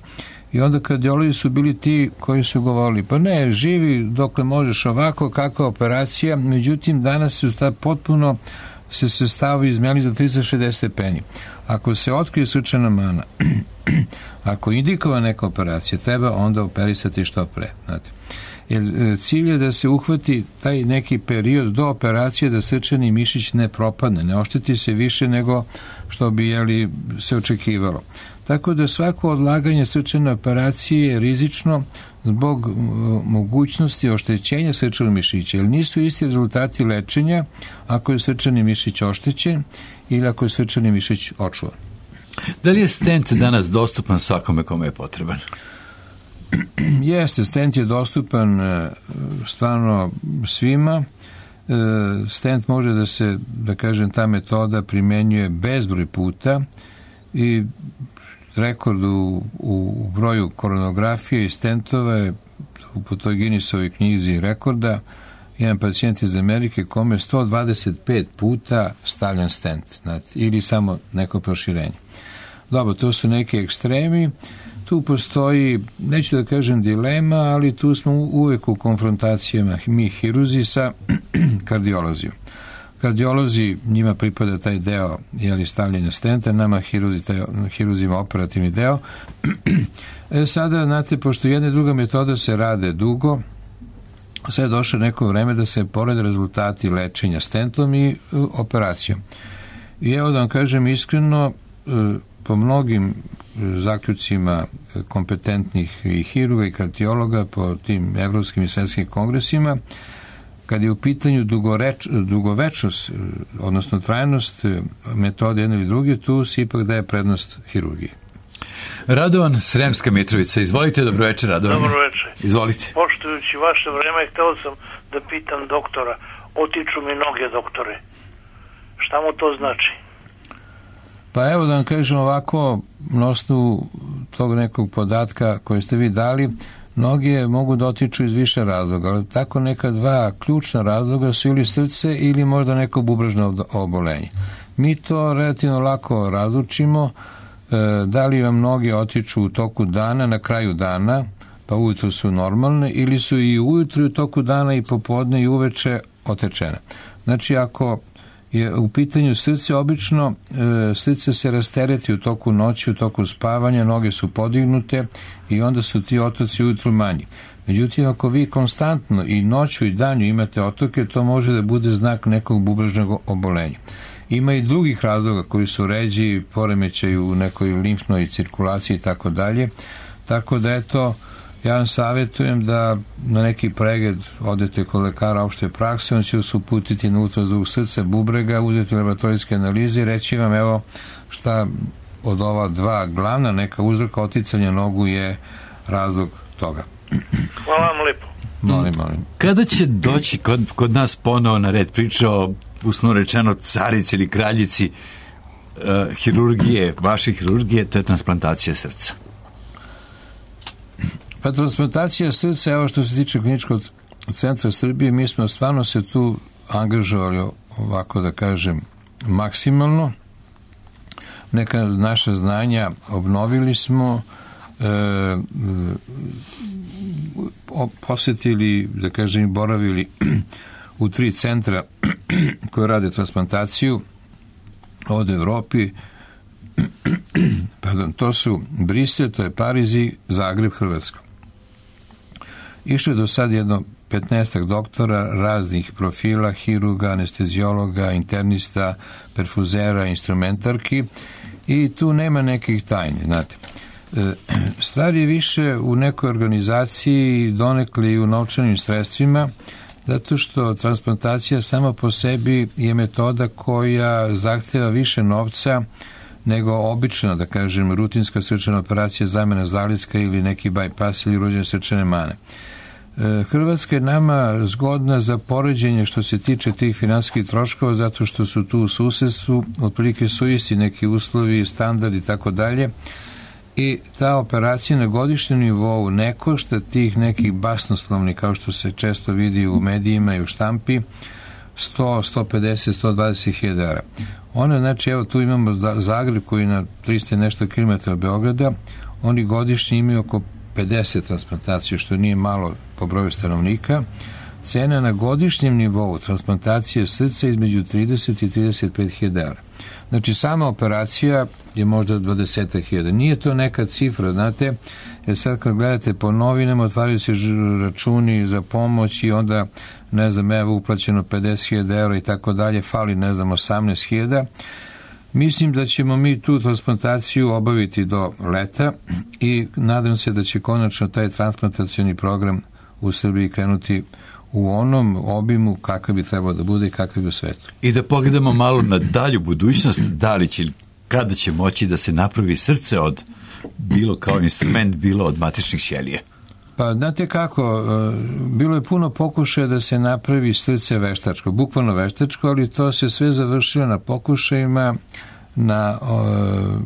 I onda kardiolozi su bili ti koji su govorili, pa ne, živi dokle možeš ovako, kakva operacija, međutim danas su ta potpuno se sestavovi izmenili za tristo šezdeset stepeni. Ako se otkrije srčana mana, ako indikova neka operacija, treba onda operisati što pre. Znate. Jer cilj je da se uhvati taj neki period do operacije da srčani mišić ne propadne, ne ošteti se više nego što bi jeli, se očekivalo. Tako da svako odlaganje srčane operacije je rizično zbog mogućnosti oštećenja srčanog mišića, jer nisu isti rezultati lečenja ako je srčani mišić oštećen ili ako je srčani mišić očuvan. Da li je stent danas dostupan svakome kome je potreban? Jeste, stent je dostupan stvarno svima. Stent može da se, da kažem, ta metoda primenjuje bezbroj puta i rekord u, u broju koronografije i stentova je po toj Guinnessovoj knjizi rekorda. Jedan pacijent iz Amerike kome je sto dvadeset pet puta stavljan stent, znate, ili samo neko proširenje. Dobro, to su neki ekstremi. Tu postoji, neću da kažem dilema, ali tu smo uvek u konfrontacijama mi hirurzi sa kardiolozijom. Kardiolozi, njima pripada taj deo jeli, stavljanja stenta, nama hirurzi, taj, hiruzima operativni deo. E, sada, znate, pošto jedna i druga metoda se rade dugo, sad je došlo neko vreme da se pored rezultati lečenja stentom i uh, operacijom. I evo da vam kažem iskreno, uh, po mnogim zaključcima kompetentnih i hirurga i kardiologa po tim evropskim i svetskim kongresima, kad je u pitanju dugoreč, dugovečnost, odnosno trajnost metode jedne ili druge, tu se ipak daje prednost hirurgiji. Radovan, Sremska Mitrovica. Izvolite, dobro večer, Radovan. Dobro večer. Izvolite. Poštujući vaše vreme, hteo sam da pitam doktora. Otiču mi noge, doktore. Šta mu to znači? Pa evo da vam kažem ovako, na osnovu tog nekog podatka koje ste vi dali, noge mogu da otiču iz više razloga, ali tako neka dva ključna razloga su ili srce ili možda neko bubrežno obolenje. Mi to relativno lako razlučimo, da li vam noge otiču u toku dana, na kraju dana, pa ujutru su normalne, ili su i ujutru u toku dana i popodne i uveče otečene. Znači, ako je u pitanju srce, obično srce se rastereti u toku noći, u toku spavanja, noge su podignute i onda su ti otoci ujutru manji. Međutim, ako vi konstantno i noću i danju imate otoke, to može da bude znak nekog bubrežnog obolenja. Ima i drugih razloga koji su ređi, poremećaju u nekoj limfnoj cirkulaciji i tako dalje. Tako da eto, ja vam savjetujem da na neki pregled odete kod lekara opšte prakse, on će vas uputiti na ultrazvuk srca, bubrega, uzeti laboratorijske analize i reći vam evo šta od ova dva glavna neka uzroka oticanja nogu je razlog toga. Hvala vam lepo. Molim, molim. Kada će doći kod, kod nas ponovo na red priča o, usno rečeno, carici ili kraljici uh, hirurgije, vaše hirurgije, to je transplantacija srca? Pa transplantacija srca, evo što se tiče Kliničkog centra Srbije, mi smo stvarno se tu angažovali, ovako da kažem, maksimalno. Neka naša znanja obnovili smo, e, posjetili, da kažem, boravili u tri centra koje rade transplantaciju od Evropi. Pardon, to su Brisel, to je Pariz i Zagreb, Hrvatska. Išlo je do sad jedno petnaestak doktora raznih profila, hirurga, anestezijologa, internista, perfuzera, instrumentarki i tu nema nekih tajni, znate. Stvar je više u nekoj organizaciji, donekle i u novčanim sredstvima, zato što transplantacija sama po sebi je metoda koja zahteva više novca nego obična, da kažem, rutinska srčana operacija, zamena zaliska ili neki bypass ili urođene srčane mane. Hrvatska je nama zgodna za poređenje što se tiče tih finansijskih troškova, zato što su tu u susedstvu, otprilike su isti neki uslovi, standardi i tako dalje, i ta operacija na godišnjem nivou ne košta tih nekih basnoslovnih, kao što se često vidi u medijima i u štampi, sto, sto pedeset, sto dvadeset hiljada evra. Ona, znači, evo tu imamo Zagreb koji je na trista nešto kilometara od Beograda, oni godišnje imaju oko pedeset transplantacija, što nije malo po broju stanovnika. Cena na godišnjem nivou transplantacije srca između trideset i trideset pet hiljada evra. Znači, sama operacija je možda dvadeset hiljada. Nije to neka cifra, znate, jer sad kad gledate po novinama, otvaraju se računi za pomoć i onda, ne znam, evo uplaćeno pedeset hiljada evra i tako dalje, fali, ne znam, osamnaest hiljada. Mislim da ćemo mi tu transplantaciju obaviti do leta i nadam se da će konačno taj transplantacioni program u Srbiji krenuti u onom obimu kakav bi trebao da bude i kakav bi u svetu. I da pogledamo malo na dalju budućnost, da li će, kada će moći da se napravi srce od bilo kao instrument, bilo od matičnih ćelija? Pa, znate kako, bilo je puno pokušaja da se napravi srce veštačko, bukvalno veštačko, ali to se sve završilo na pokušajima, na o,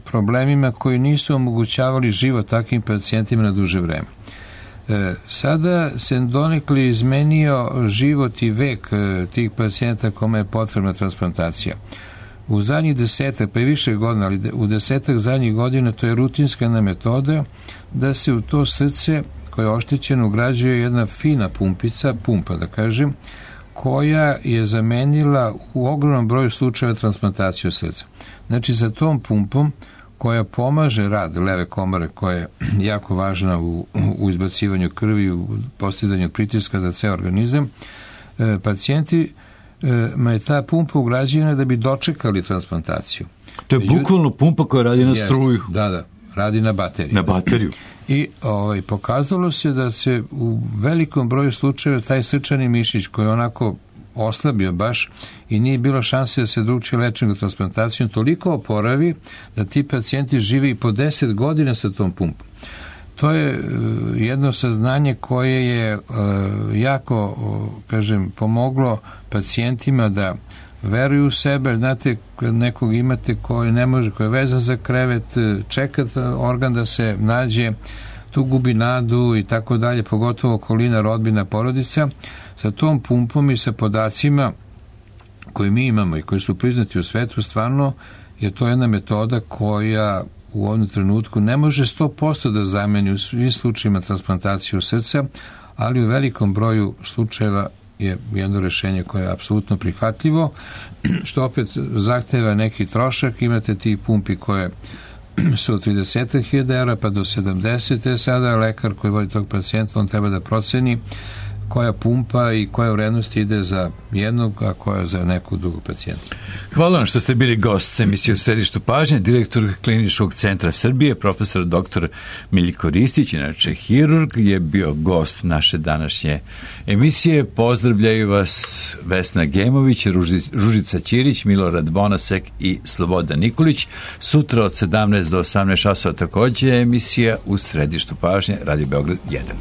problemima koji nisu omogućavali život takvim pacijentima na duže vreme. E, sada se donekle izmenio život i vek e, tih pacijenta kome je potrebna transplantacija. U zadnjih desetak, pa i više godina, ali u desetak zadnjih godina to je rutinska metoda da se u to srce koje je oštećeno ugrađuje jedna fina pumpica, pumpa da kažem, koja je zamenila u ogromnom broju slučajeva transplantaciju srca. Znači, sa tom pumpom koja pomaže rad leve komore, koja je jako važna u, u izbacivanju krvi, u postizanju pritiska za ceo organizam, e, pacijenti, e, ma je ta pumpa ugrađena da bi dočekali transplantaciju. To je bukvalno pumpa koja radi na struju. Da, da, radi na bateriju. Na bateriju. I ovaj, pokazalo se da se u velikom broju slučajeva taj srčani mišić koji je onako oslabio baš i nije bilo šanse da se druči lečenjem transplantacijom, toliko oporavi da ti pacijenti žive i po deset godina sa tom pumpom. To je uh, jedno saznanje koje je uh, jako, uh, kažem, pomoglo pacijentima da veruju u sebe. Znate, kad nekog imate koji ne može, koji je vezan za krevet, čeka organ da se nađe, tu gubi nadu i tako dalje, pogotovo okolina, rodbina, porodica. Sa tom pumpom i sa podacima koje mi imamo i koji su priznati u svetu, stvarno je to jedna metoda koja u ovom trenutku ne može sto posto da zameni u svim slučajima transplantaciju srca, ali u velikom broju slučajeva je jedno rešenje koje je apsolutno prihvatljivo, što opet zahteva neki trošak. Imate ti pumpi koje su od trideset hiljada evra pa do sedamdeset, sada lekar koji vodi tog pacijenta, on treba da proceni koja pumpa i koja vrednost ide za jednog, a koja za nekog drugog pacijenta. Hvala vam što ste bili gost emisije u središtu pažnje, direktor Kliničkog centra Srbije, profesor doktor Miljko Ristić, inače hirurg, je bio gost naše današnje emisije. Pozdravljaju vas Vesna Gemović, Ružica Ćirić, Milorad Bonasek i Slobodan Nikolić. Sutra od sedamnaest do osamnaest časova takođe emisija u središtu pažnje, Radio Beograd jedan.